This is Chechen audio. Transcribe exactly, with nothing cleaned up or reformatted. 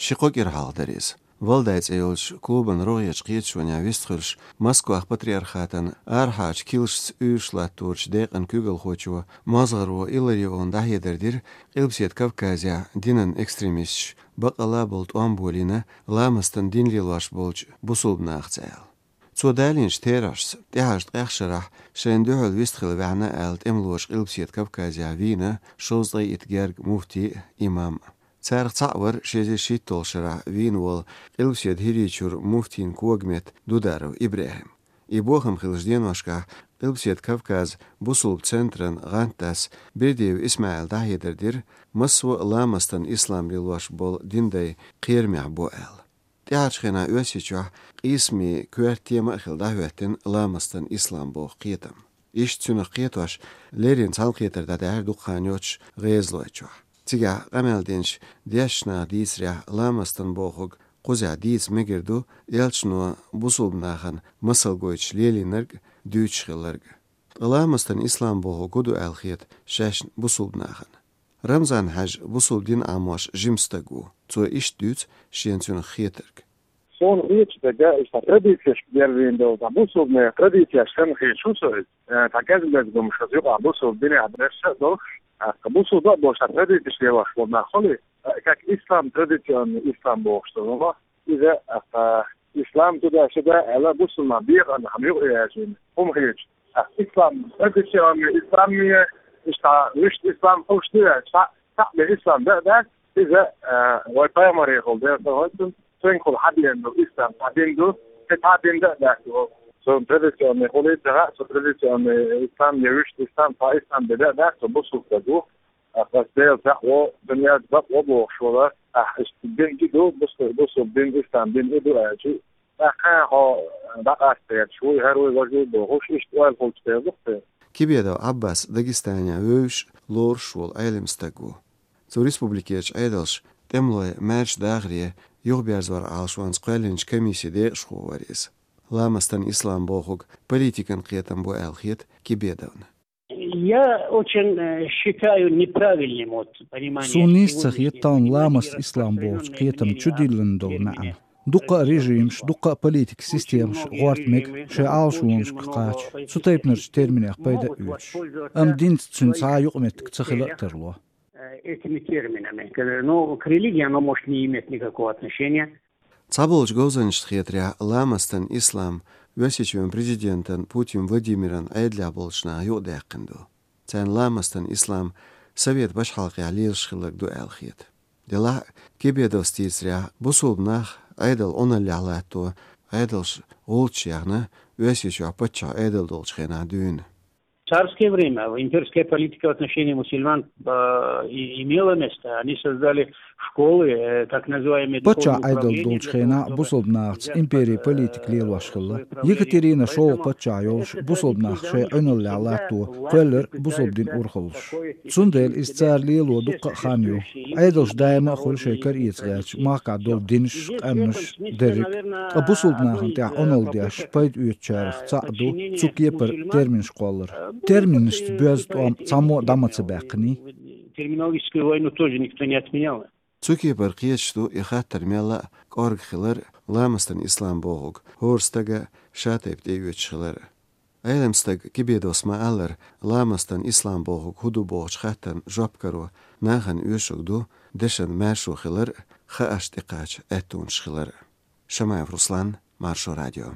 Ши-кхо кӀира хьалха дара иза. «Валдай» цӀе йолчу клубан рогӀерчу кхеташонехь вистхуьлуш, Москвахь патриархатан арахьарчу килсашца уьйраш латторчу декъан куьйгалхочо МозгӀаро Иллариона дӀахьедар дира, Къилбаседа Кавказехь динан экстремисташ баккъалла а болу тӀом болийна ламастан дин лелош болчу бусулба нахаца аьлла. Цо далийначу терахьашца, тӀаьхьарчу ткъех шарахь шайна дуьхьал вистхила ваьхьна аьлла тӀемалоша Къилбаседа Кавказехь вийна шовзткъе итт герга муфти а, имам а. Царах цхьаъ вара ши эзар шийтталгӀачу шарахь вийна волу Къилбаседа ХӀирийчуьра муфтийн когаметта Дударов ИбрахӀим. И бохам хиллачу деношкахь Къилбаседа Кавказан бусулба центран гӀантдас Бердиев ИсмаӀила дӀахьедар дира, массо а ламастан ислам лелош болу диндай кхерамехь бо аьлла. ТӀаьхьарчу хенахь Оьрсийчохь къийсамийн коьрта тема а хилла дӀахӀоьттина ламастан ислам боху кхетам. Иштта цуьнах кхетош леррина цхьаьнакхетар дӀадаьхьира дукха хан йоццуш ГӀезалойчохь. Цигахь къамел динчу дешначу наха дийцарехь, ламастан бохург кхузахь дийца мегар ду, элчано бусулба нахана масал гойтуш лелийнарг а, дуьйцуш хилларг а. Ткъа ламастан ислам бохург хӀун ду аьлла хета шаьшна бусулба нахана? Рамзан-Хьаьжа бусулба дин Ӏамош жима стаг ву. Цо иштта дуьйцу шена цуьнах хетарг. Суна хеташ дерг, иштта традицешка герзийна долу, цхьа бусулбанийн традицеш санна хеташ ву со иза. Э, цхьа кӀезиг-мезиг хӀумнаш шуьца юкъахь бусулба динехь берш а долуш, тӀаккха бусулба а болуш, цхьа традицеш лелош болу нах хуьлий, э, как ислам, традиционный ислам бохуш долу хӀума. Иза, тӀаккха, ислам туда-сюда аьлла, бусулба нах бекъанна хӀума юкъа яьржина хӀума хеташ. ТӀаккха ислам, традиционный ислам, иштта вуьшта ислам хуьлуш ду аьлла, цхьаъ, цхьаъ бен ислам дан а дац, иза, э, вай пайхамарехула, Делан салам хуьлда цунна, цуьнгахула хьабеана долу ислам цхьа дин ду, кхин цхьа дин дан а дац ву. Цунна традиционный хуьлий ца хаьа, цу традиционный ислам я вуьшта ислам, цхьа ислам бен дан а дац, цу бусулба стаг ву. Ахь ас Дела цхьаъ ву, дуьненахь бакъ ву бохуш вара, ахь иштта дин и ду, бусу-, бусулба дин, ислам дин и ду аьлча, тӀаккха хьо дӀакъаста гӀерташ вуй, хӀара вуй, важа вуй бохуш, иштта ойла хуьлуш дела ду-кх те. Кибедов Ӏаббас Дагестанехь вевзаш, лоруш волу Ӏелам стаг ву. Цу республикерчу Ӏедалша тӀемалой маьрша дахаре юхаберзоран Ӏалашонца кхоьллинчу комиссин декъашхо вара иза. Ламастан ислам бохург политикан кхетам бу аьлла хета Кибедовна. Я очень, э, считаю неправильным вот понимание. Суна нийса ца хета тахана ламаст ислам бохучу кхетам чудиллина долу маьӀна. Дуккха а режимаш, дуккха а политикан системаш гӀорта мега шайн Ӏалашонашка кхача, цу тайпанарчу терминех пайда а оьцуш. Амма динца цуьнан цхьа а юкъаметтиг ца хила а тарло. Э, этими терминами. К-, ну, к религии оно может не иметь никакого отношения. Цхьаболчу говзанчашна хетарехь, ламастан ислам Оьрсийчоьнан президентан Путин Владимиран Ӏедалехь болчу наха юкъадаьккхина ду. Царна ламастан ислам совет пачхьалкхехь лелаш хилларг ду аьлла хета. Делахь а, Кибедовс дийцарехь, бусулба нах Ӏедал Ӏуналлехь латто, Ӏедалш гӀулчаш яьхна, Оьрсийчохь паччахь Ӏедал долчу хенахь дуьйна. В царское время имперская политика в отношении мусульман, э, и-, имела место. Они создали школы, э, так называемые духовные управления. Паччахь Ӏедал долчу хенахь бусулба нахаца империн политика лелош хилла. Екатерина шолгӀа паччахь йолуш, бусулба нах шайн Ӏуналлехь латто кхоьллира бусулба дин урхаллаш. Цундела иза цара лело дуккха а хан ю. Ӏедалш даима а хуьлу шайн кара эца гӀерташ махкахь долу динаш, къаьмнаш, дерриг а. Ткъа бусулба нахана тӀехь Ӏуналла деш, пайда оьцучарах цхьаъ ду цу кепара терминаш кхоллар. Терминашца боьзна тӀом цхьаммо а дӀа ма ца баьккхиний. Терминологическую войну тоже никто не отменял. Цу кепара кхеташ ду и хаттар мелла а кӀорга хилар, ламастан ислам бохург хӀора стага ша тайпа тӀеоьцуш хилар. Ӏелам стага Кибедовс ма-аллара, ламастан ислам бохург хӀун ду бохучу хаттарна жоп каро нахана оьшург ду дешан маьршо хилар а, хааш тӀекхача аьттонаш хилар а. Шамаев Руслан, Маршо радио.